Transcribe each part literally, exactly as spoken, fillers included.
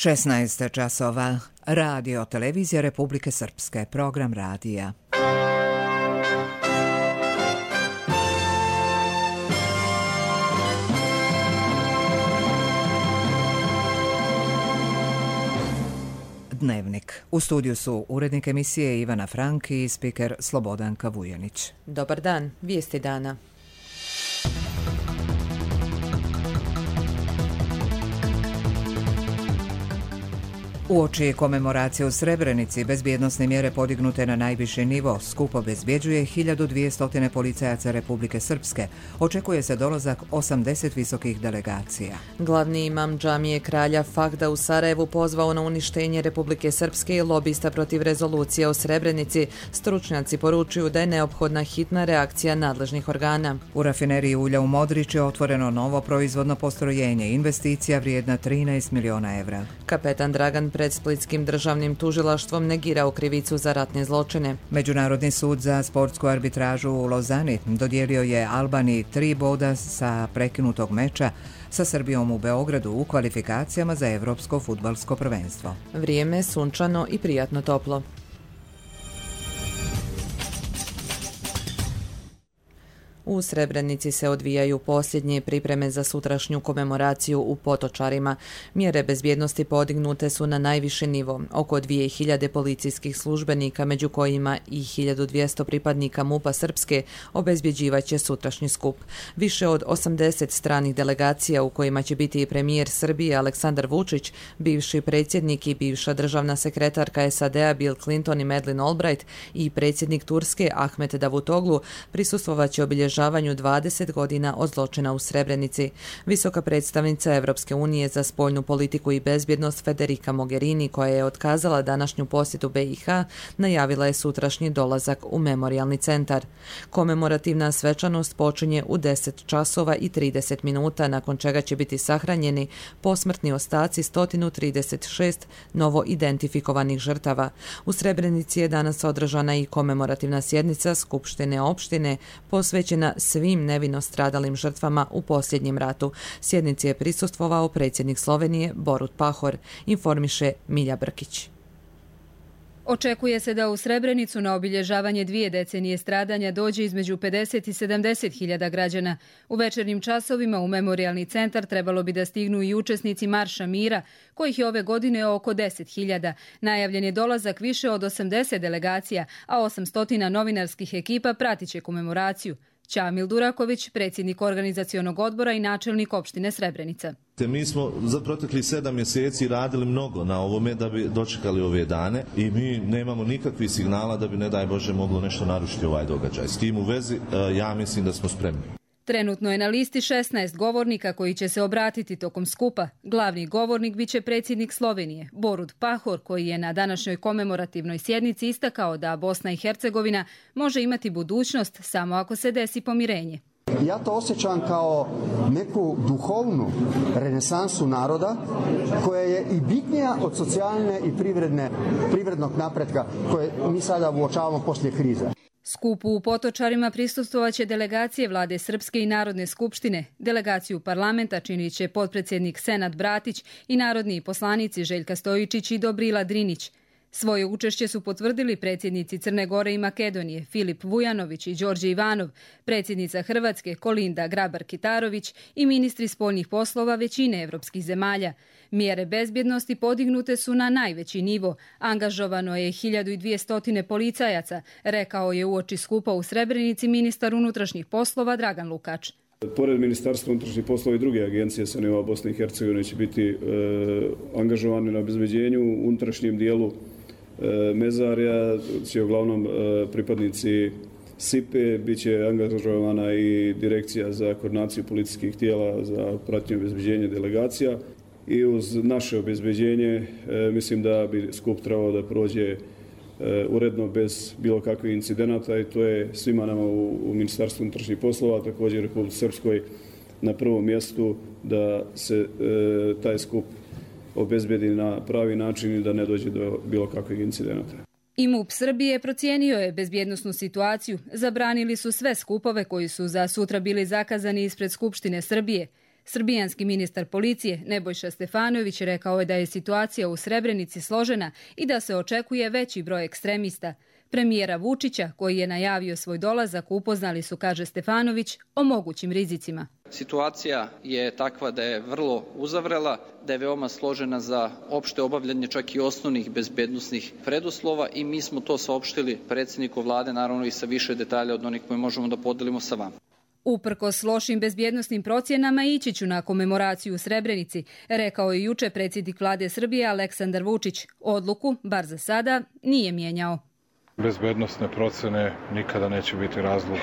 šesnaest časova. Radio Televizija Republike Srpske. Program radija. Dnevnik. U studiju su urednik emisije Ivana Frank i spiker Slobodanka Vujanić. Dobar dan, vijesti dana. Uoči komemoracije u Srebrenici, bezbjednosne mjere podignute na najviši nivo, skup obezbjeđuje hiljadu dvjesto policajaca Republike Srpske. Očekuje se dolazak osamdeset visokih delegacija. Glavni imam džamije kralja Fahda u Sarajevu pozvao na uništenje Republike Srpske i lobista protiv rezolucije o Srebrenici. Stručnjaci poručuju da je neophodna hitna reakcija nadležnih organa. U rafineriji ulja u Modrić je otvoreno novo proizvodno postrojenje, investicija vrijedna trinaest miliona evra. Kapetan Dragan pred Splitskim državnim tužilaštvom negirao krivicu za ratne zločine. Međunarodni sud za sportsku arbitražu u Lozani dodijelio je Albaniji tri boda sa prekinutog meča sa Srbijom u Beogradu u kvalifikacijama za Evropsko fudbalsko prvenstvo. Vrijeme sunčano i prijatno toplo. U Srebrenici se odvijaju posljednje pripreme za sutrašnju komemoraciju u Potočarima. Mjere bezbjednosti podignute su na najviši nivo. Oko dvije hiljade policijskih službenika, među kojima i hiljadu dvjesto pripadnika MUP-a Srpske, obezbjeđivaće sutrašnji skup. Više od osamdeset stranih delegacija, u kojima će biti i premijer Srbije Aleksandar Vučić, bivši predsjednik i bivša državna sekretarka S A D-a Bill Clinton i Madeleine Albright i predsjednik Turske Ahmet Davutoglu, prisustvovaće obilježavanju dvadeset godina od zločina u Srebrenici. Visoka predstavnica Evropske unije za spoljnu politiku i bezbjednost Federica Mogherini, koja je otkazala današnju posjetu B i H, najavila je sutrašnji dolazak u memorijalni centar. Komemorativna svečanost počinje u deset časova i trideset minuta, nakon čega će biti sahranjeni posmrtni ostaci sto trideset šest novo identifikovanih žrtava. U Srebrenici je danas održana i komemorativna sjednica Skupštine opštine posvećena svim nevino stradalim žrtvama u posljednjem ratu. Sjednici je prisustvovao predsjednik Slovenije Borut Pahor, informiše Milja Brkić. Očekuje se da u Srebrenicu na obilježavanje dvije decenije stradanja dođe između pedeset i sedamdeset hiljada građana. U večernjim časovima u memorijalni centar trebalo bi da stignu i učesnici Marša mira, kojih je ove godine oko deset hiljada. Najavljen je dolazak više od osamdeset delegacija, a osamsto novinarskih ekipa pratiće komemoraciju. Ćamil Duraković, predsjednik organizacionog odbora i načelnik opštine Srebrenica. Mi smo za proteklih sedam mjeseci radili mnogo na ovome da bi dočekali ove dane i mi nemamo nikakvih signala da bi, ne daj Bože, moglo nešto narušiti ovaj događaj. S tim u vezi ja mislim da smo spremni. Trenutno je na listi šesnaest govornika koji će se obratiti tokom skupa. Glavni govornik biće predsjednik Slovenije, Borut Pahor, koji je na današnjoj komemorativnoj sjednici istakao da Bosna i Hercegovina može imati budućnost samo ako se desi pomirenje. Ja to osjećam kao neku duhovnu renesansu naroda koja je i bitnija od socijalne i privredne, privrednog napretka koje mi sada uočavamo poslije krize. Skupu u Potočarima prisustvovaće delegacije Vlade Srpske i Narodne skupštine. Delegaciju parlamenta činit će potpredsjednik Senad Bratić i narodni poslanici Željka Stojičić i Dobrila Drinić. Svoje učešće su potvrdili predsjednici Crne Gore i Makedonije Filip Vujanović i Đorđe Ivanov, predsjednica Hrvatske Kolinda Grabar-Kitarović i ministri spoljnih poslova većine evropskih zemalja. Mjere bezbjednosti podignute su na najveći nivo. Angažovano je hiljadu dvjesto policajaca, rekao je uoči skupa u Srebrenici ministar unutrašnjih poslova Dragan Lukač. Pored Ministarstva unutrašnjih poslova i druge agencije sa nivoa Bosne i Hercegovine će biti e, angažovane na obezbeđenju u unutrašnjem dijelu e, mezarja, će uglavnom e, pripadnici S I P E, bit će angažovana i direkcija za koordinaciju policijskih tijela za pratnje obezbeđenje delegacija. I uz naše obezbeđenje e, mislim da bi skup trebao da prođe e, uredno bez bilo kakvih incidenata i to je svima nama u, u Ministarstvu unutrašnjih poslova, također u Republici Srpskoj na prvom mjestu da se e, taj skup obezbedi na pravi način i da ne dođe do bilo kakvih incidenata. I MUP Srbije procijenio je bezbjednosnu situaciju. Zabranili su sve skupove koji su za sutra bili zakazani ispred Skupštine Srbije. Srbijanski ministar policije Nebojša Stefanović rekao je da je situacija u Srebrenici složena i da se očekuje veći broj ekstremista. Premijera Vučića, koji je najavio svoj dolazak, upoznali su, kaže Stefanović, o mogućim rizicima. Situacija je takva da je vrlo uzavrela, da je veoma složena za opšte obavljanje čak i osnovnih bezbednosnih preduslova i mi smo to saopštili predsjedniku vlade, naravno i sa više detalja od onih koje možemo da podelimo sa vama. Uprkos lošim bezbjednosnim procjenama ići ću na komemoraciju u Srebrenici, rekao je juče predsjednik vlade Srbije Aleksandar Vučić. Odluku, bar za sada, nije mijenjao. Bezbednosne procene nikada neće biti razlog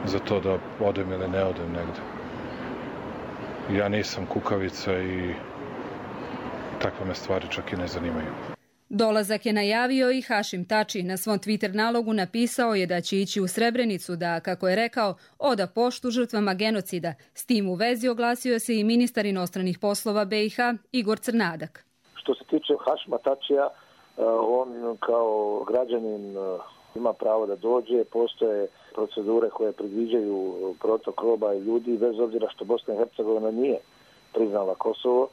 za to da odem ili ne odem negde. Ja nisam kukavica i takve me stvari čak i ne zanimaju. Dolazak je najavio i Hašim Tači. Na svom Twitter nalogu napisao je da će ići u Srebrenicu da, kako je rekao, oda poštu žrtvama genocida. S tim u vezi oglasio se i ministar inostranih poslova be i ha Igor Crnadak. Što se tiče Hašima Tačija, on kao građanin ima pravo da dođe, postoje procedure koje predviđaju protok roba i ljudi, bez obzira što Bosna i Hercegovina nije priznala Kosovo.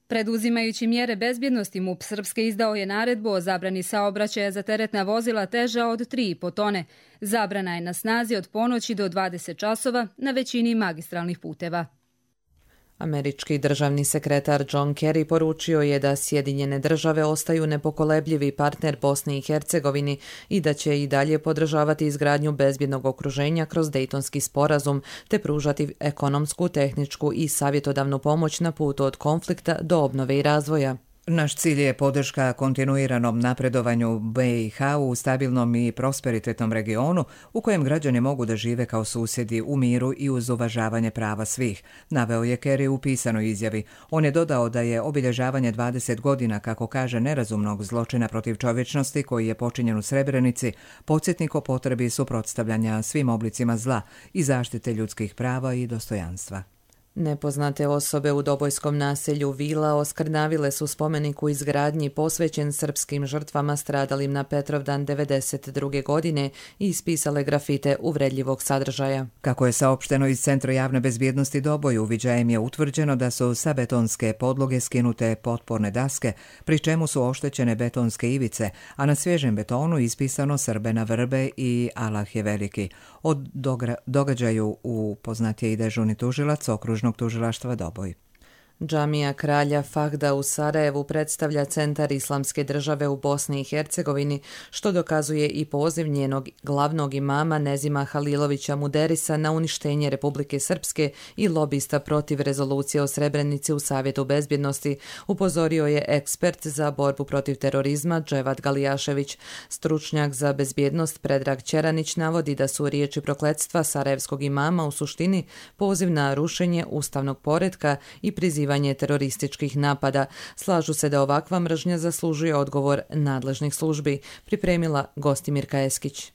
Preduzimajući mjere bezbjednosti, MUP Srpske izdao je naredbu o zabrani saobraćaja za teretna vozila teža od tri i po tone. Zabrana je na snazi od ponoći do dvadeset časova na većini magistralnih puteva. Američki državni sekretar John Kerry poručio je da Sjedinjene države ostaju nepokolebljivi partner Bosni i Hercegovini i da će i dalje podržavati izgradnju bezbjednog okruženja kroz Dejtonski sporazum te pružati ekonomsku, tehničku i savjetodavnu pomoć na putu od konflikta do obnove i razvoja. Naš cilj je podrška kontinuiranom napredovanju be i ha u stabilnom i prosperitetnom regionu u kojem građani mogu da žive kao susjedi u miru i uz uvažavanje prava svih, naveo je Kerry u pisanoj izjavi. On je dodao da je obilježavanje dvadeset godina, kako kaže, nerazumnog zločina protiv čovječnosti koji je počinjen u Srebrenici, podsjetnik o potrebi suprotstavljanja svim oblicima zla i zaštite ljudskih prava i dostojanstva. Nepoznate osobe u Dobojskom naselju Vila oskrnavile su spomenik u izgradnji posvećen srpskim žrtvama stradalim na Petrovdan devedeset druge godine i ispisale grafite uvredljivog sadržaja. Kako je saopšteno iz Centra javne bezbjednosti Doboj, uviđajem je utvrđeno da su sa betonske podloge skinute potporne daske, pri čemu su oštećene betonske ivice, a na svježem betonu ispisano Srbe na vrbe i Allah je veliki. O događaju upoznat je i dežurni tužilac okružnog tužilaštva Doboj. Džamija kralja Fahda u Sarajevu predstavlja centar islamske države u Bosni i Hercegovini, što dokazuje i poziv njenog glavnog imama Nezima Halilovića Muderisa na uništenje Republike Srpske i lobista protiv rezolucije o Srebrenici u Savjetu bezbjednosti, upozorio je ekspert za borbu protiv terorizma Dževad Galijašević. Stručnjak za bezbjednost Predrag Ćeranić navodi da su riječi prokletstva sarajevskog imama u suštini poziv na rušenje ustavnog poretka i prizivanje terorističkih napada. Slažu se da ovakva mržnja zaslužuje odgovor nadležnih službi, pripremila Gostimirka Eskić.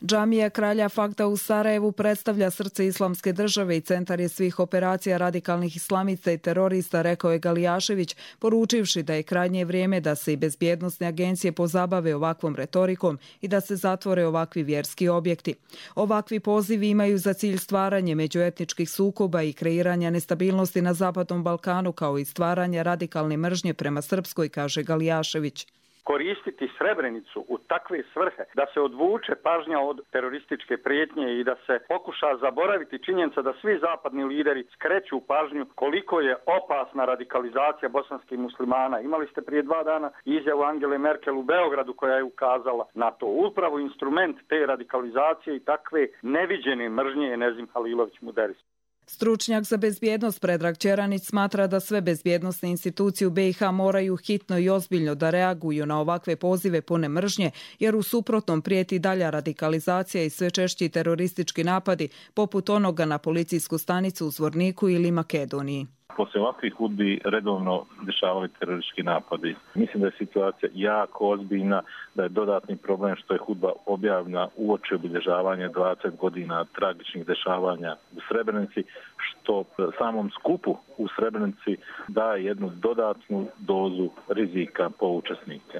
Džamija kralja Fahda u Sarajevu predstavlja srce islamske države i centar je svih operacija radikalnih islamista i terorista, rekao je Galijašević, poručivši da je krajnje vrijeme da se i bezbjednosne agencije pozabave ovakvom retorikom i da se zatvore ovakvi vjerski objekti. Ovakvi pozivi imaju za cilj stvaranje međuetničkih sukoba i kreiranja nestabilnosti na Zapadnom Balkanu, kao i stvaranje radikalne mržnje prema Srpskoj, kaže Galijašević. Koristiti Srebrenicu u takve svrhe da se odvuče pažnja od terorističke prijetnje i da se pokuša zaboraviti činjenica da svi zapadni lideri skreću pažnju koliko je opasna radikalizacija bosanskih muslimana. Imali ste prije dva dana izjavu Angele Merkel u Beogradu koja je ukazala na to. Upravo instrument te radikalizacije i takve neviđene mržnje je Nezim Halilović Muderis. Stručnjak za bezbjednost Predrag Ćeranić smatra da sve bezbjednosne institucije u be i ha moraju hitno i ozbiljno da reaguju na ovakve pozive pune mržnje, jer u suprotnom prijeti dalja radikalizacija i sve češći teroristički napadi, poput onoga na policijsku stanicu u Zvorniku ili Makedoniji. Poslije ovakvih hudbi redovno dešavali teroristički napadi. Mislim da je situacija jako ozbiljna, da je dodatni problem što je hudba objavljena uoči obilježavanja dvadeset godina tragičnih dešavanja u Srebrenici, što samom skupu u Srebrenici daje jednu dodatnu dozu rizika po učesnike.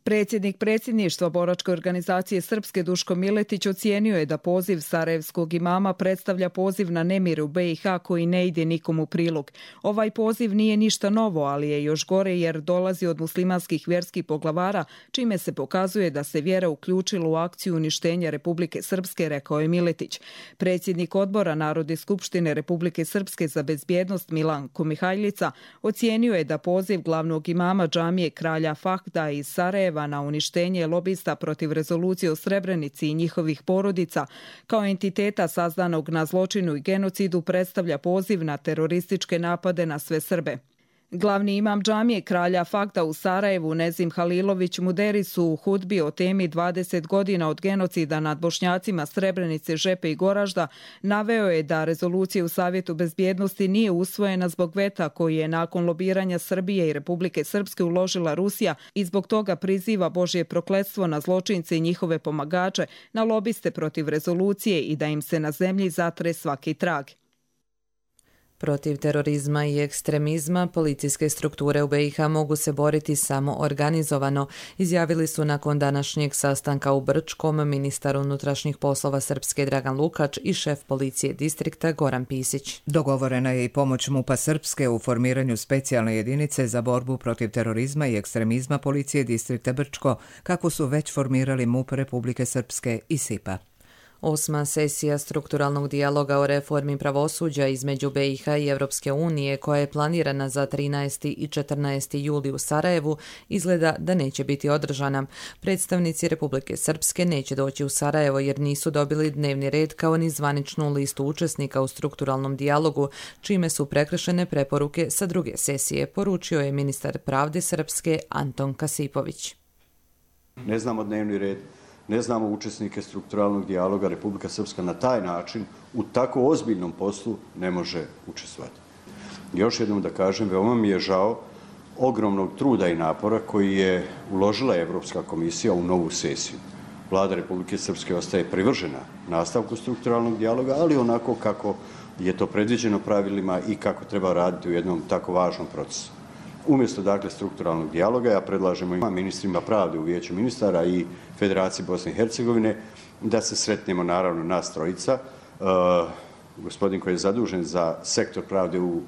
Predsjednik predsjedništva boračke organizacije Srpske Duško Miletić ocijenio je da poziv sarajevskog imama predstavlja poziv na nemir u B i H koji ne ide nikom u prilog. Ovaj poziv nije ništa novo, ali je još gore jer dolazi od muslimanskih vjerskih poglavara, čime se pokazuje da se vjera uključila u akciju uništenja Republike Srpske, rekao je Miletić. Predsjednik odbora Narodne skupštine Republike Srpske za bezbjednost Milanko Mihajlica ocijenio je da poziv glavnog imama džamije Kralja Fahda iz Sarajeva na uništenje lobista protiv rezolucije o Srebrenici i njihovih porodica kao entiteta sazdanog na zločinu i genocidu predstavlja poziv na terorističke napade na sve Srbe. Glavni imam džamije Kralja Fahda u Sarajevu, Nezim Halilović Muderis, u hudbi o temi dvadeset godina od genocida nad Bošnjacima Srebrenice, Žepe i Goražda naveo je da rezolucija u Savjetu bezbjednosti nije usvojena zbog veta koji je nakon lobiranja Srbije i Republike Srpske uložila Rusija i zbog toga priziva Božje prokletstvo na zločince i njihove pomagače, na lobiste protiv rezolucije i da im se na zemlji zatre svaki trag. Protiv terorizma i ekstremizma policijske strukture u B i H mogu se boriti samo organizovano, izjavili su nakon današnjeg sastanka u Brčkom ministar unutrašnjih poslova Srpske Dragan Lukač i šef policije distrikta Goran Pisić. Dogovorena je i pomoć MUP-a Srpske u formiranju specijalne jedinice za borbu protiv terorizma i ekstremizma policije distrikta Brčko, kako su već formirali MUP Republike Srpske i S I P A. Osma sesija strukturalnog dijaloga o reformi pravosuđa između B i H i Europske unije, koja je planirana za trinaesti i četrnaesti juli u Sarajevu, izgleda da neće biti održana. Predstavnici Republike Srpske neće doći u Sarajevo jer nisu dobili dnevni red kao ni zvaničnu listu učesnika u strukturalnom dijalogu, čime su prekršene preporuke sa druge sesije, poručio je ministar pravde Srpske Anton Kasipović. Ne znamo dnevni red. Ne znamo učesnike strukturalnog dijaloga, Republika Srpska na taj način u tako ozbiljnom poslu ne može učestvovati. Još jednom da kažem, veoma mi je žao ogromnog truda i napora koji je uložila Evropska komisija u novu sesiju. Vlada Republike Srpske ostaje privržena nastavku strukturalnog dijaloga, ali onako kako je to predviđeno pravilima i kako treba raditi u jednom tako važnom procesu. Umjesto dakle strukturalnog dijaloga, ja predlažemo i ministrima pravde u Vijeću ministara i Federaciji Bosne i Hercegovine da se sretnemo, naravno, nas trojica. Uh, gospodin koji je zadužen za sektor pravde u uh,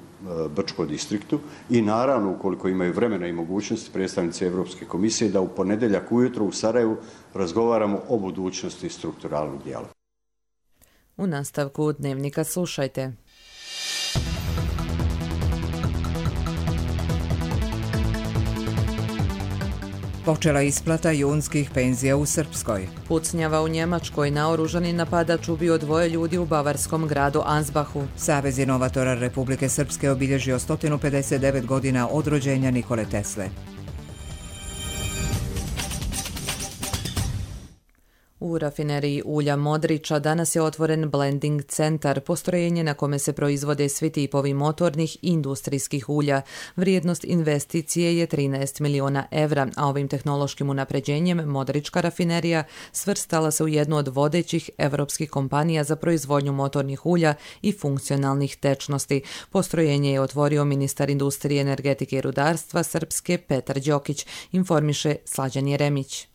Brčkom distriktu i naravno, ukoliko imaju vremena i mogućnosti, predstavnici Evropske komisije, da u ponedeljak ujutro u Sarajevu razgovaramo o budućnosti strukturalnog dijaloga. U nastavku dnevnika slušajte. Počela isplata junskih penzija u Srpskoj. Pucnjava u Njemačkoj, naoružani napadač ubio dvoje ljudi u bavarskom gradu Ansbachu. Savez inovatora Republike Srpske obilježio sto pedeset devet godina od rođenja Nikole Tesle. U rafineriji ulja Modriča danas je otvoren blending centar, postrojenje na kome se proizvode svi tipovi motornih i industrijskih ulja. Vrijednost investicije je trinaest miliona evra, a ovim tehnološkim unapređenjem Modrička rafinerija svrstala se u jednu od vodećih evropskih kompanija za proizvodnju motornih ulja i funkcionalnih tečnosti. Postrojenje je otvorio ministar industrije, energetike i rudarstva Srpske Petar Đokić, informiše Slađan Jeremić.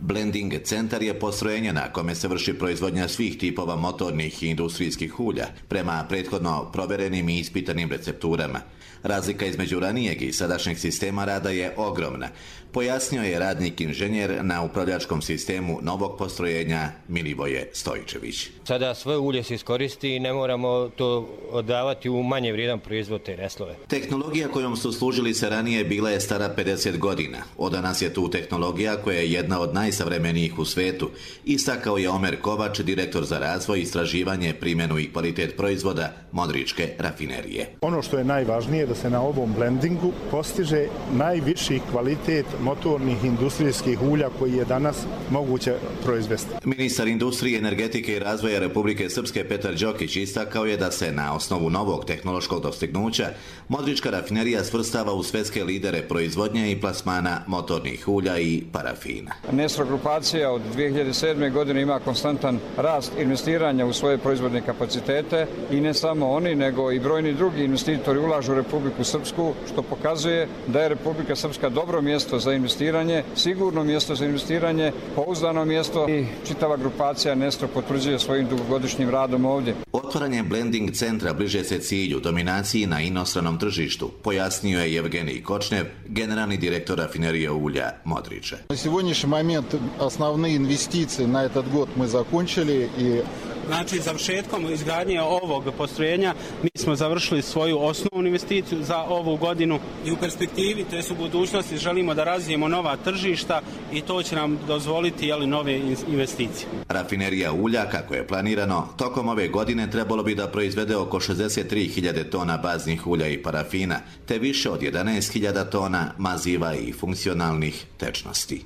Blending centar je postrojenje na kome se vrši proizvodnja svih tipova motornih i industrijskih ulja prema prethodno proverenim i ispitanim recepturama. Razlika između ranijeg i sadašnjeg sistema rada je ogromna, pojasnio je radnik inženjer na upravljačkom sistemu novog postrojenja Milivoje Stojičević. Sada sve ulje se iskoristi i ne moramo to odavati u manje vrijedan proizvod te reslove. Tehnologija kojom su služili se ranije bila je stara pedeset godina. Od danas je tu tehnologija koja je jedna od najsavremenijih u svetu, istakao je Omer Kovač, direktor za razvoj, istraživanje, primjenu i kvalitet proizvoda Modričke rafinerije. Ono što je najvažnije da se na ovom blendingu postiže najviši kvalitet motornih industrijskih ulja koji je danas moguće proizvesti. Ministar industrije, energetike i razvoja Republike Srpske Petar Đokić istakao je da se na osnovu novog tehnološkog dostignuća Modrička rafinerija svrstava u svetske lidere proizvodnje i plasmana motornih ulja i parafina. Naša grupacija od dvije hiljade sedme. godine ima konstantan rast investiranja u svoje proizvodne kapacitete i ne samo oni, nego i brojni drugi investitori ulažu u Republiku Srpsku, što pokazuje da je Republika Srpska dobro mjesto za investiranje, sigurno mjesto za investiranje, pouzdano mjesto i čitava grupacija Nestro potvrđuje svojim dugogodišnjim radom ovdje. Otvaranje blending centra bliže se cilju dominaciji na inostranom tržištu, pojasnio je Evgenij Kočnev, generalni direktor rafinerije ulja Modriče. Na сегодняшний момент основные инвестиции на этот год мы закончили и Znači, završetkom izgradnje ovog postrojenja mi smo završili svoju osnovnu investiciju za ovu godinu i u perspektivi, to jest u budućnosti, želimo da razvijemo nova tržišta i to će nam dozvoliti jeli, nove investicije. Rafinerija ulja, kako je planirano, tokom ove godine trebalo bi da proizvede oko šezdeset tri hiljade tona baznih ulja i parafina, te više od jedanaest hiljada tona maziva i funkcionalnih tečnosti.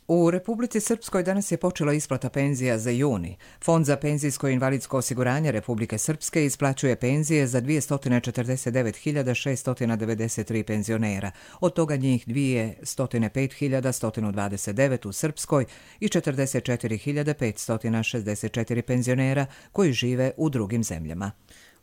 U Republici Srpskoj danas je počela isplata penzija za juni. Fond za penzijsko i invalidsko osiguranje Republike Srpske isplaćuje penzije za dvjesto četrdeset devet hiljada šesto devedeset tri penzionera, od toga njih dvjesto pet hiljada sto dvadeset devet u Srpskoj i četrdeset četiri hiljade petsto šezdeset četiri penzionera koji žive u drugim zemljama.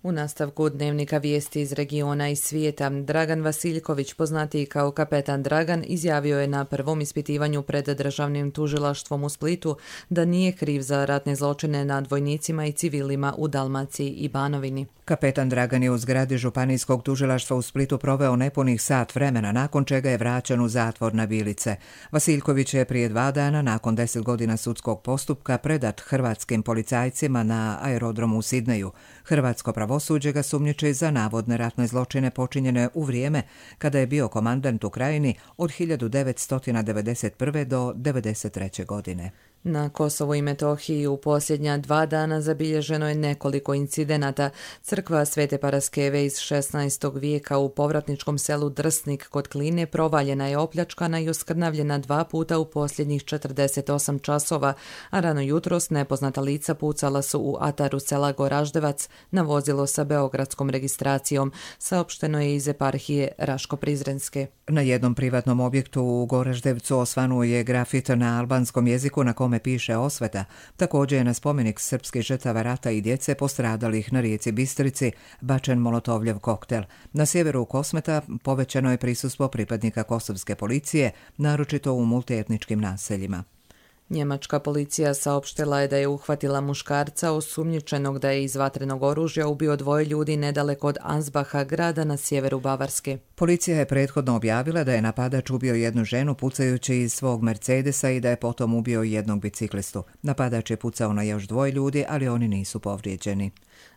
U nastavku dnevnika vijesti iz regiona i svijeta, Dragan Vasiljković, poznatiji kao kapetan Dragan, izjavio je na prvom ispitivanju pred državnim tužilaštvom u Splitu da nije kriv za ratne zločine nad vojnicima i civilima u Dalmaciji i Banovini. Kapetan Dragan je u zgradi Županijskog tužilaštva u Splitu proveo nepunih sat vremena, nakon čega je vraćen u zatvor na Bilice. Vasiljković je prije dva dana, nakon deset godina sudskog postupka, predat hrvatskim policajcima na aerodromu u Sidneju. Hrvatsko pravosuđe ga sumnjiči za navodne ratne zločine počinjene u vrijeme kada je bio komandant u Krajini od hiljadu devetsto devedeset prve. do devedeset treće. godine. Na Kosovu i Metohiji u posljednja dva dana zabilježeno je nekoliko incidenata. Crkva Svete Paraskeve iz šesnaestog vijeka u povratničkom selu Drsnik kod Kline provaljena je, opljačkana i oskrnavljena dva puta u posljednjih četrdeset osam časova, a rano jutros nepoznata lica pucala su u ataru sela Goraždevac na vozilo sa beogradskom registracijom, saopšteno je iz eparhije Raško-Prizrenske. Na jednom privatnom objektu u Goraždevcu osvanuo je grafit na albanskom jeziku na kome piše osveta. Također je na spomenik srpskih žrtava rata i djece postradalih na rijeci Bistrici bačen molotovljev koktel. Na sjeveru Kosmeta povećano je prisustvo pripadnika kosovske policije, naročito u multietničkim naseljima. Njemačka policija saopštila je da je uhvatila muškarca osumnjičenog da je iz vatrenog oružja ubio dvoje ljudi nedaleko od Ansbacha, grada na sjeveru Bavarske. Policija je prethodno objavila da je napadač ubio jednu ženu pucajući iz svog Mercedesa i da je potom ubio jednog biciklistu. Napadač je pucao na još dvoje ljudi, ali oni nisu povrijeđeni.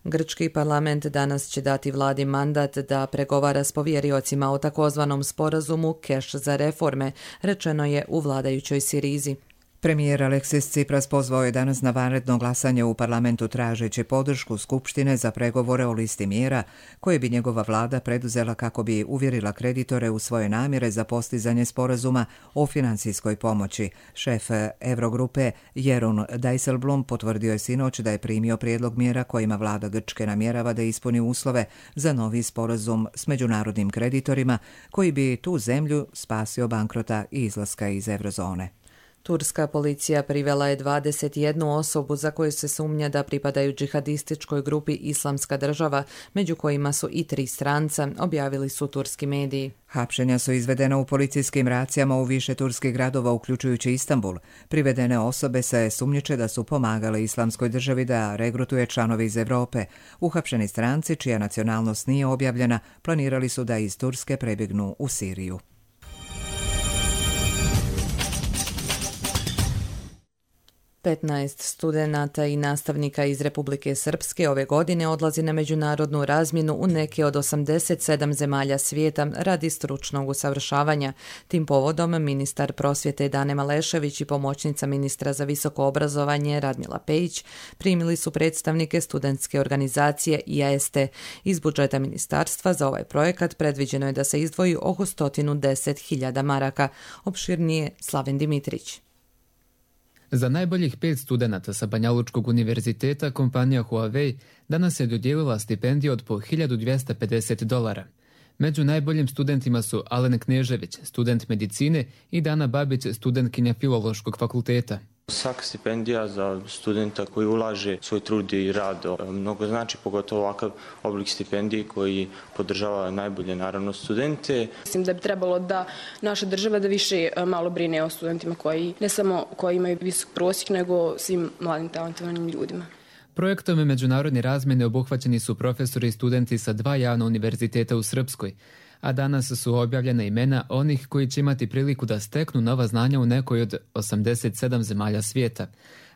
Grčki parlament danas će dati vladi mandat da pregovara s povjeriocima o takozvanom sporazumu Keš za reforme, rečeno je u vladajućoj Sirizi. Premijer Aleksis Tsipras pozvao je danas na vanredno glasanje u parlamentu tražeći podršku Skupštine za pregovore o listi mjera koje bi njegova vlada preduzela kako bi uvjerila kreditore u svoje namjere za postizanje sporazuma o financijskoj pomoći. Šef Eurogrupe Jeroen Dijsselbloem potvrdio je sinoć da je primio prijedlog mjera kojima vlada Grčke namjerava da ispuni uslove za novi sporazum s međunarodnim kreditorima koji bi tu zemlju spasio bankrota i izlaska iz eurozone. Turska policija privela je dvadeset jednu osobu za koju se sumnja da pripadaju džihadističkoj grupi Islamska država, među kojima su i tri stranca, objavili su turski mediji. Hapšenja su izvedena u policijskim racijama u više turskih gradova, uključujući Istanbul. Privedene osobe se sumnjiče da su pomagale Islamskoj državi da regrutuje članove iz Europe. Uhapšeni stranci, čija nacionalnost nije objavljena, planirali su da iz Turske prebjegnu u Siriju. petnaest studenata i nastavnika iz Republike Srpske ove godine odlazi na međunarodnu razmjenu u neke od osamdeset sedam zemalja svijeta radi stručnog usavršavanja. Tim povodom ministar prosvjete Dane Malešević i pomoćnica ministra za visoko obrazovanje Radmila Pejić primili su predstavnike studentske organizacije I A S T. Iz budžeta ministarstva za ovaj projekat predviđeno je da se izdvoji oko sto deset hiljada maraka. Opširnije Slaven Dimitrić. Za najboljih pet studenata sa Banjalučkog univerziteta kompanija Huawei danas je dodijelila stipendiju od po hiljadu dvjesto pedeset dolara. Među najboljim studentima su Alen Knežević, student medicine, i Dana Babić, studentkinja Filološkog fakulteta. Svaka stipendija za studenta koji ulaže svoj trud i rad mnogo znači, pogotovo ovakav oblik stipendije koji podržava najbolje, naravno, studente. Mislim da bi trebalo da naša država da više malo brine o studentima koji ne samo koji imaju visok prosjek, nego svim mladim talentovanim ljudima. Projektom međunarodne razmjene obuhvaćeni su profesori i studenti sa dva javna univerziteta u Srpskoj, a danas su objavljena imena onih koji će imati priliku da steknu nova znanja u nekoj od osamdeset sedam zemalja svijeta,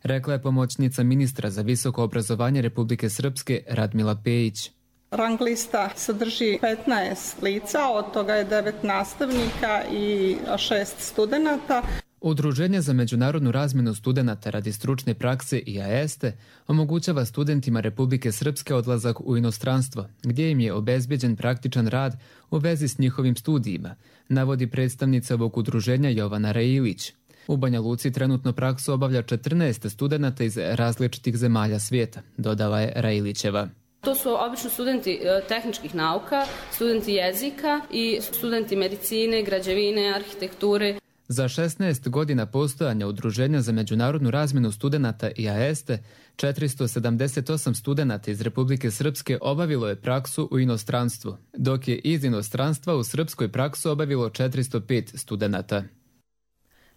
rekla je pomoćnica ministra za visoko obrazovanje Republike Srpske Radmila Pejić. Rang lista sadrži petnaest lica, od toga je devet nastavnika i šest studenata. Udruženje za međunarodnu razmjenu studenata radi stručne prakse i a es te omogućava studentima Republike Srpske odlazak u inostranstvo, gdje im je obezbjeđen praktičan rad u vezi s njihovim studijima, navodi predstavnica ovog udruženja Jovana Railić. U Banja Luci trenutno praksu obavlja četrnaest studenata iz različitih zemalja svijeta, dodala je Railićeva. To su obično studenti tehničkih nauka, studenti jezika i studenti medicine, građevine, arhitekture. Za šesnaest godina postojanja Udruženja za međunarodnu razmjenu studenata i a es te, četiristo sedamdeset osam studenata iz Republike Srpske obavilo je praksu u inostranstvu, dok je iz inostranstva u Srpskoj praksu obavilo četiristo pet studenata.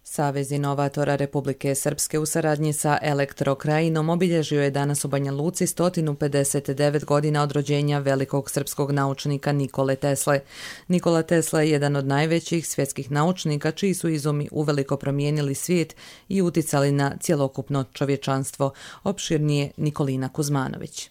Savez inovatora Republike Srpske u saradnji sa Elektrokrajinom obilježio je danas u Banja Luci sto pedeset devet godina od rođenja velikog srpskog naučnika Nikole Tesle. Nikola Tesla je jedan od najvećih svjetskih naučnika čiji su izumi uveliko promijenili svijet i uticali na cjelokupno čovječanstvo. Opširnije Nikolina Kuzmanović.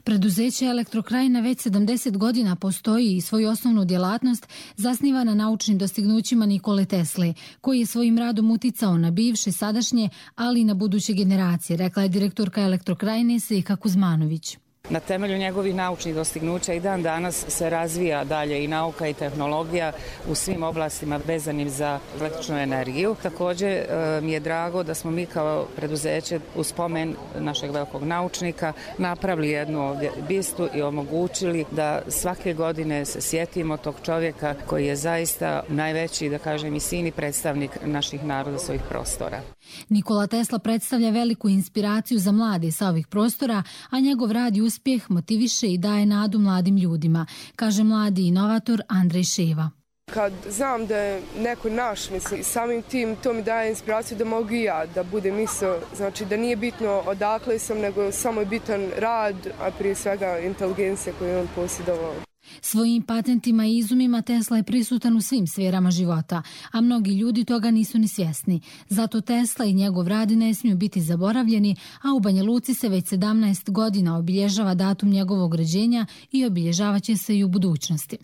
Preduzeće Elektrokrajina već sedamdeset godina postoji i svoju osnovnu djelatnost zasniva na naučnim dostignućima Nikole Tesle, koji je svojim radom uticao na bivše, sadašnje, ali i na buduće generacije, rekla je direktorka Elektrokrajine Sejka Kuzmanović. Na temelju njegovih naučnih dostignuća i dan danas se razvija dalje i nauka i tehnologija u svim oblastima vezanim za električnu energiju. Također mi je drago da smo mi kao preduzeće u spomen našeg velikog naučnika napravili jednu ovdje bistu i omogućili da svake godine se sjetimo tog čovjeka koji je zaista najveći, da kažem, i sini predstavnik naših naroda, svojih prostora. Nikola Tesla predstavlja veliku inspiraciju za mlade sa ovih prostora, a njegov rad i uspjeh motiviše i daje nadu mladim ljudima, kaže mladi inovator Andrej Ševa. Kad znam da je neko naš, mislim, samim tim to mi daje inspiraciju da mogu i ja da budem isto, znači da nije bitno odakle sam, nego samo je bitan rad, a prije svega inteligencija koju je on posjedovao. Svojim patentima i izumima Tesla je prisutan u svim sferama života, a mnogi ljudi toga nisu ni svjesni. Zato Tesla i njegov rad ne smiju biti zaboravljeni, a u Banja Luci se već sedamnaest godina obilježava datum njegovog rođenja i obilježavat će se i u budućnosti.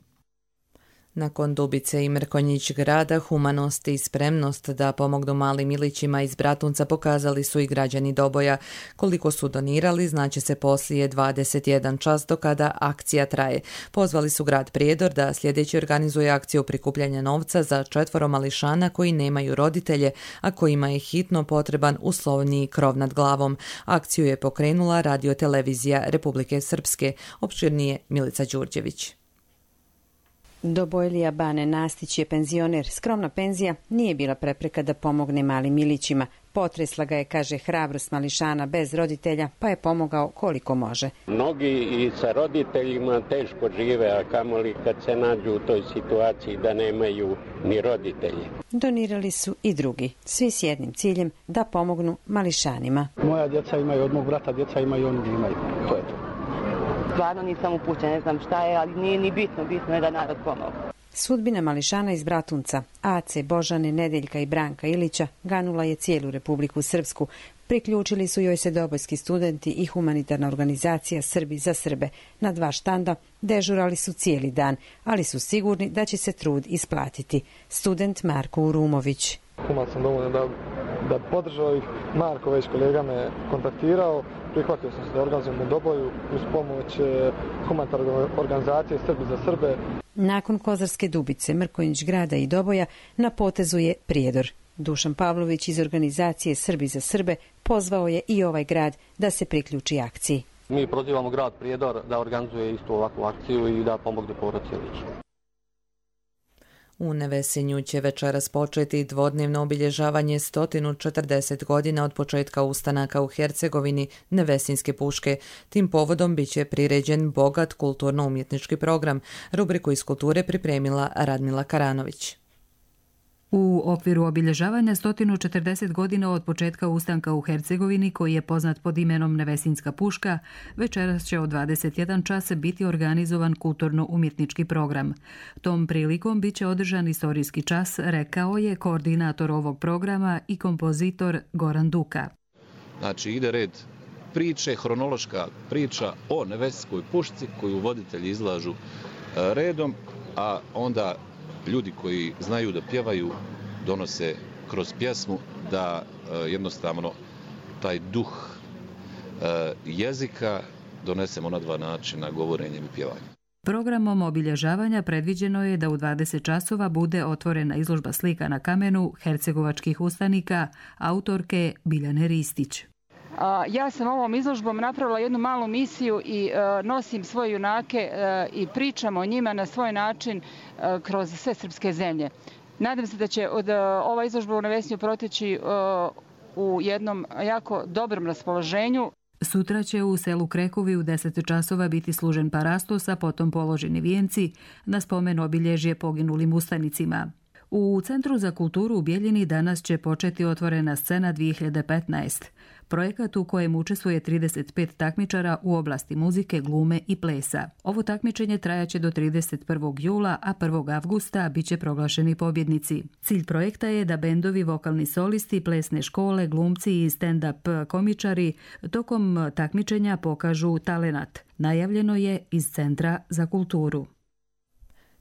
Nakon Dubice i Mrkonjić grada, humanost i spremnost da pomognu malim milićima iz Bratunca pokazali su i građani Doboja. Koliko su donirali znaće se poslije dvadeset jedan čas do kada akcija traje. Pozvali su grad Prijedor da sljedeći organizuje akciju prikupljanja novca za četvoro mališana koji nemaju roditelje, a kojima je hitno potreban uslovniji krov nad glavom. Akciju je pokrenula radiotelevizija Republike Srpske. Opširnije Milica Đurđević. Dobojlija Bane Nastić je penzioner. Skromna penzija nije bila prepreka da pomogne malim milićima. Potresla ga je, kaže, hrabrost mališana bez roditelja, pa je pomogao koliko može. Mnogi i sa roditeljima teško žive, a kamoli kad se nađu u toj situaciji da nemaju ni roditelji. Donirali su i drugi, svi s jednim ciljem da pomognu mališanima. Moja djeca imaju od mog brata, djeca imaju, oni imaju. To je to. Stvarno nisam upućena, ne znam šta je, ali nije ni bitno, bitno je da narod pomogu. Sudbina mališana iz Bratunca, Ace, Božane, Nedeljka i Branka Ilića, ganula je cijelu Republiku Srpsku. Priključili su joj se dobojski studenti i humanitarna organizacija Srbi za Srbe. Na dva štanda dežurali su cijeli dan, ali su sigurni da će se trud isplatiti. Student Marko Urumović. Human sam dovoljno da, da podržao ih. Marko već kolega me kontaktirao. Prihvatio sam se da organizujem u Doboju uz pomoć humanitarne organizacije Srbi za Srbe. Nakon Kozarske Dubice, Mrkonjić grada i Doboja na potezu je Prijedor. Dušan Pavlović iz organizacije Srbi za Srbe pozvao je i ovaj grad da se priključi akciji. Mi prozivamo grad Prijedor da organizuje istu ovakvu akciju i da pomogne porodici Ilić. U Nevesinju će večeras početi dvodnevno obilježavanje sto četrdeset godina od početka ustanaka u Hercegovini Nevesinske puške. Tim povodom biće priređen bogat kulturno-umjetnički program. Rubriku iz kulture pripremila Radmila Karanović. U okviru obilježavanja sto četrdeset godina od početka ustanka u Hercegovini, koji je poznat pod imenom Nevesinska puška, večeras će od dvadeset jedan čas biti organizovan kulturno-umjetnički program. Tom prilikom bit će održan istorijski čas, rekao je koordinator ovog programa i kompozitor Goran Duka. Znači ide red priče, hronološka priča o Nevesinskoj pušci koju voditelji izlažu redom, a onda ljudi koji znaju da pjevaju donose kroz pjesmu da e, jednostavno taj duh e, jezika donesemo na dva načina, govorenjem i pjevanjem. Programom obilježavanja predviđeno je da u dvadeset časova bude otvorena izložba slika na kamenu hercegovačkih ustanika autorke Biljane Ristić. Ja sam ovom izložbom napravila jednu malu misiju i uh, nosim svoje junake uh, i pričam o njima na svoj način uh, kroz sve srpske zemlje. Nadam se da će od uh, ova izložba u Nevesinju proteći uh, u jednom jako dobrom raspoloženju. Sutra će u selu Krekovi u deset časova biti služen parastos, a potom položeni vijenci na spomen obilježje poginulim ustanicima. U Centru za kulturu u Bijeljini danas će početi otvorena scena dvije hiljade petnaeste. Projekat u kojem učestvuje trideset pet takmičara u oblasti muzike, glume i plesa. Ovo takmičenje trajaće do trideset prvog jula, a prvog avgusta bit će proglašeni pobjednici. Cilj projekta je da bendovi, vokalni solisti, plesne škole, glumci i stand-up komičari tokom takmičenja pokažu talenat. Najavljeno je iz Centra za kulturu.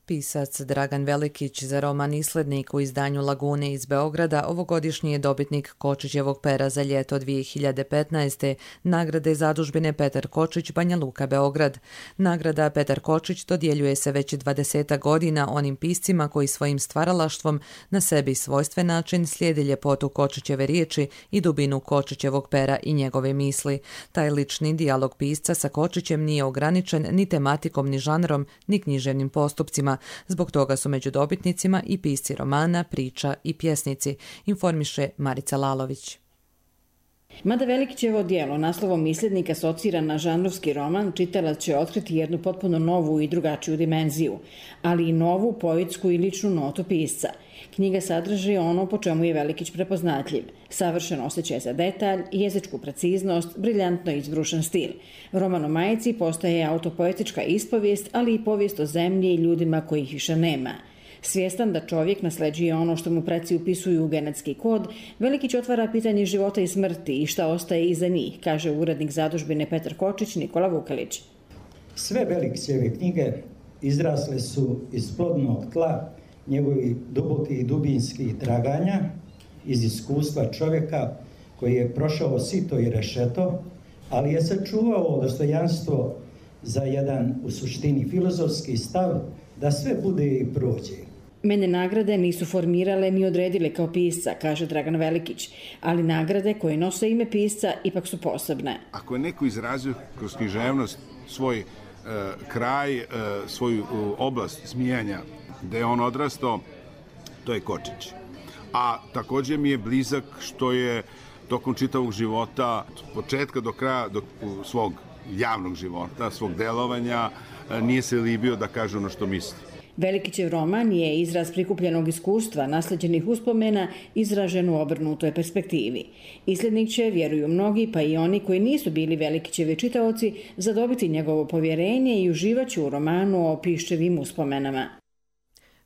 Pisac Dragan Velikić za roman Islednik u izdanju Lagune iz Beograda ovogodišnji je dobitnik Kočićevog pera za ljeto dvije hiljade petnaeste. Nagrade zadužbine Petar Kočić, Banja Luka, Beograd. Nagrada Petar Kočić dodjeljuje se već dvadeset godina onim piscima koji svojim stvaralaštvom na sebi svojstven način slijedi ljepotu Kočićeve riječi i dubinu Kočićevog pera i njegove misli. Taj lični dijalog pisca sa Kočićem nije ograničen ni tematikom, ni žanrom, ni književnim postupcima. Zbog toga su među dobitnicima i pisci romana, priča i pjesnici, informiše Marica Lalović. Mada Velikićevo djelo naslovom Islednik asocira na žanrovski roman, čitalac će otkriti jednu potpuno novu i drugačiju dimenziju, ali i novu poetsku i ličnu notu pisca. Knjiga sadrži ono po čemu je Velikić prepoznatljiv. Savršen osjećaj za detalj, jezičku preciznost, briljantno izbrušen stil. Roman o majici postaje autopoetička ispovijest, ali i povijest o zemlji i ljudima kojih više nema. Svjestan da čovjek nasleđuje ono što mu preci upisuju u genetski kod, Velikić otvara pitanje života i smrti i šta ostaje iza njih, kaže urednik zadužbine Petar Kočić Nikola Vukelić. Sve Velikićeve knjige izrasle su iz plodnog tla njegovih dubokih i dubinskih traganja, iz iskustva čovjeka koji je prošao sito i rešeto, ali je sačuvao dostojanstvo za jedan u suštini filozofski stav da sve bude i prođe. Mene nagrade nisu formirale ni odredile kao pisca, kaže Dragan Velikić, ali nagrade koje nose ime pisca ipak su posebne. Ako je neko izrazio kroz književnost svoj e, kraj, e, svoju oblast smijanja, gde je on odrastao, to je Kočić. A također mi je blizak što je tokom čitavog života, od početka do kraja do svog javnog života, svog delovanja, nije se libio da kaže ono što misli. Velikićev roman je izraz prikupljenog iskustva, nasleđenih uspomena, izražen u obrnutoj perspektivi. Islednik će, vjeruju mnogi, pa i oni koji nisu bili Velikićevi čitaoci, zadobiti njegovo povjerenje i uživaće u romanu o Piščevim uspomenama.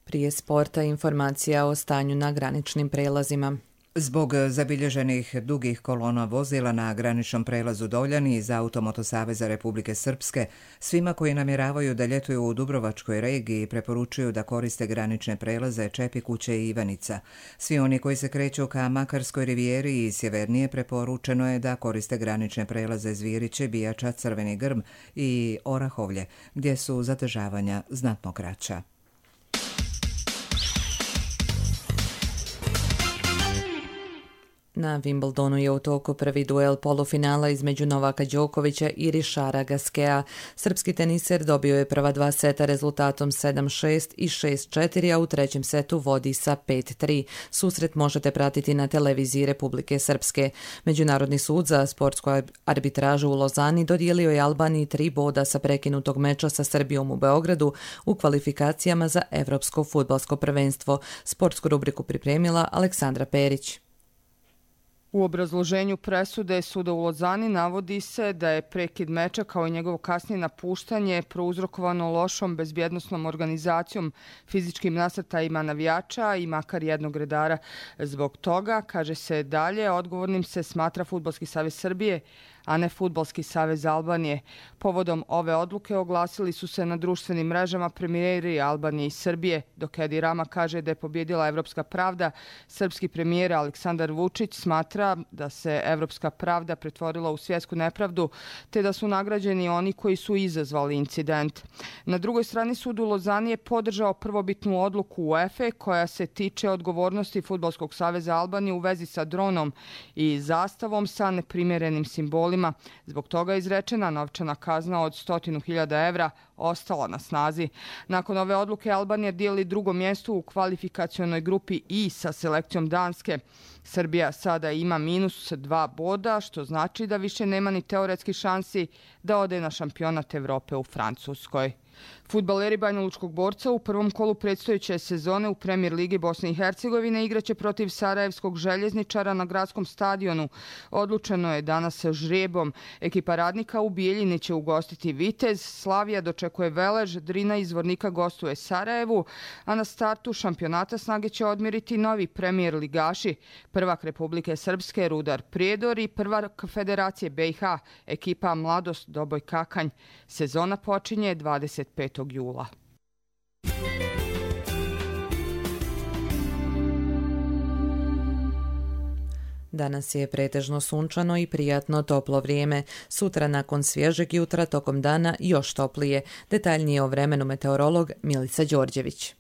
Prije sporta informacija o stanju na graničnim prelazima. Zbog zabilježenih dugih kolona vozila na graničnom prelazu Doljani iz Automoto Saveza Republike Srpske, svima koji namjeravaju da ljetuju u Dubrovačkoj regiji preporučuju da koriste granične prelaze Čepikuće i Ivanica. Svi oni koji se kreću ka Makarskoj rivijeri i sjevernije preporučeno je da koriste granične prelaze Zviriće, Bijača, Crveni Grm i Orahovlje, gdje su zadržavanja znatno kraća. Na Wimbledonu je u toku prvi duel polufinala između Novaka Đokovića i Richara Gasqueta. Srpski teniser dobio je prva dva seta rezultatom sedam šest i šest četiri, a u trećem setu vodi sa pet tri. Susret možete pratiti na televiziji Republike Srpske. Međunarodni sud za sportsku arbitražu u Lozani dodijelio je Albaniji tri boda sa prekinutog meča sa Srbijom u Beogradu u kvalifikacijama za Evropsko fudbalsko prvenstvo. Sportsku rubriku pripremila Aleksandra Perić. U obrazloženju presude suda u Lozani navodi se da je prekid meča kao i njegovo kasnije napuštanje prouzrokovano lošom bezbjednosnom organizacijom, fizičkim nasrtajima navijača i makar jednog redara. Zbog toga, kaže se dalje, odgovornim se smatra Fudbalski savez Srbije, a ne Fudbalski savez Albanije. Povodom ove odluke oglasili su se na društvenim mrežama premijeri Albanije i Srbije. Dok Edi Rama kaže da je pobjedila evropska pravda, srpski premijer Aleksandar Vučić smatra da se evropska pravda pretvorila u svjetsku nepravdu, te da su nagrađeni oni koji su izazvali incident. Na drugoj strani sud u Lozani je podržao prvobitnu odluku UEFA koja se tiče odgovornosti Fudbalskog saveza Albanije u vezi sa dronom i zastavom sa neprimjerenim simbolima. Zbog toga je izrečena novčana kazna od stotinu hiljada evra ostala na snazi. Nakon ove odluke Albanija dijeli drugo mjesto u kvalifikacionoj grupi I sa selekcijom Danske. Srbija sada ima minus dva boda, što znači da više nema ni teoretski šansi da ode na šampionat Evrope u Francuskoj. Fudbaleri Banjalučkog Borca u prvom kolu predstojeće sezone u Premijer Ligi Bosne i Hercegovine igraće protiv Sarajevskog Željezničara na gradskom stadionu. Odlučeno je danas žrebom. Ekipa Radnika u Bijeljini će ugostiti Vitez, Slavija dočekuje Velež, Drina iz Zvornika gostuje Sarajevu, a na startu šampionata snage će odmjeriti novi premijer ligaši, prvak Republike Srpske Rudar Prijedor i prvak Federacije B i H, ekipa Mladost Doboj Kakanj. Sezona počinje dvadeset petog jula. Danas je pretežno sunčano i prijatno toplo vrijeme. Sutra nakon svježeg jutra tokom dana još toplije. Detaljnije o vremenu meteorolog Milica Đorđević.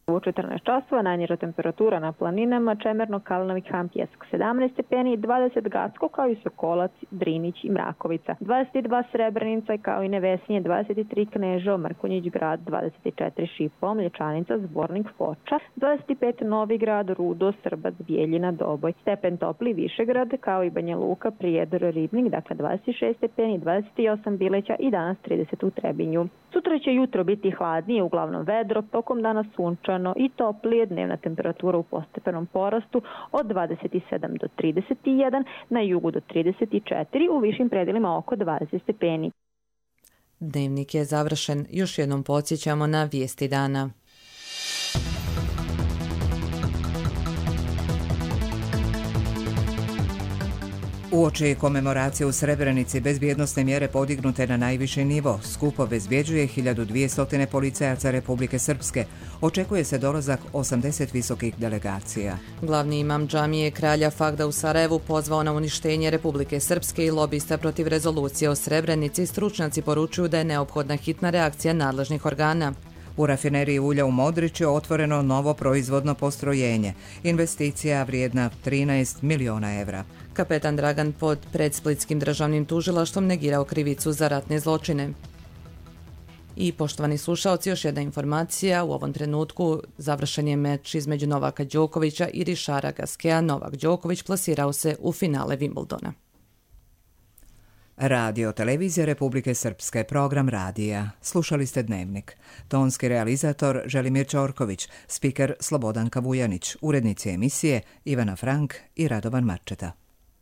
U četrnaest časova najniža temperatura na planinama Čemerno, Kalinović, Ham, Pjesak sedamnaest stepeni, dvadeset Gacko kao i Sokolac, Drinić i Mrakovica, dvadeset dva Srebrenica kao i Nevesinje, dvadeset tri Kneževo, Mrkonjić Grad, dvadeset četiri Šipovo, Mlječanica, Zbornik, Foča, dvadeset pet Novigrad, Rudo, Srbac, Bijeljina, Doboj, stepen topli Višegrad kao i Banja Luka, Prijedor, Ribnik, dakle dvadeset šest stepeni, dvadeset osam Bileća i danas trideset u Trebinju. Sutra će jutro biti hladnije, uglavnom vedro, tokom dana sunčano i toplije, dnevna temperatura u postepenom porastu od dvadeset sedam do trideset jedan, na jugu do trideset četiri, u višim predelima oko dvadeset stepeni. Dnevnik je završen, još jednom podsjećamo na vijesti dana. Uoči komemoracije u Srebrenici bezbjednosne mjere podignute na najviši nivo, skup obezbjeđuje hiljadu dvjesto policajaca Republike Srpske. Očekuje se dolazak osamdeset visokih delegacija. Glavni imam džamije Kralja Fagda u Sarajevu pozvao na uništenje Republike Srpske i lobista protiv rezolucije o Srebrenici. Stručnjaci poručuju da je neophodna hitna reakcija nadležnih organa. U rafineriji ulja u Modriću je otvoreno novo proizvodno postrojenje. Investicija vrijedna trinaest miliona evra. Kapetan Dragan pod pred Splitskim državnim tužilaštvom negirao krivicu za ratne zločine. I poštovani slušaoci, još jedna informacija. U ovom trenutku završen je meč između Novaka Đokovića i Richara Gasqueta. Novak Đoković plasirao se u finale Wimbledona. Radio televizija Republike Srpske, program radija. Slušali ste Dnevnik. Tonski realizator Želimir Ćorković, spiker Slobodanka Vujanić, urednici emisije Ivana Frank i Radovan Marčeta.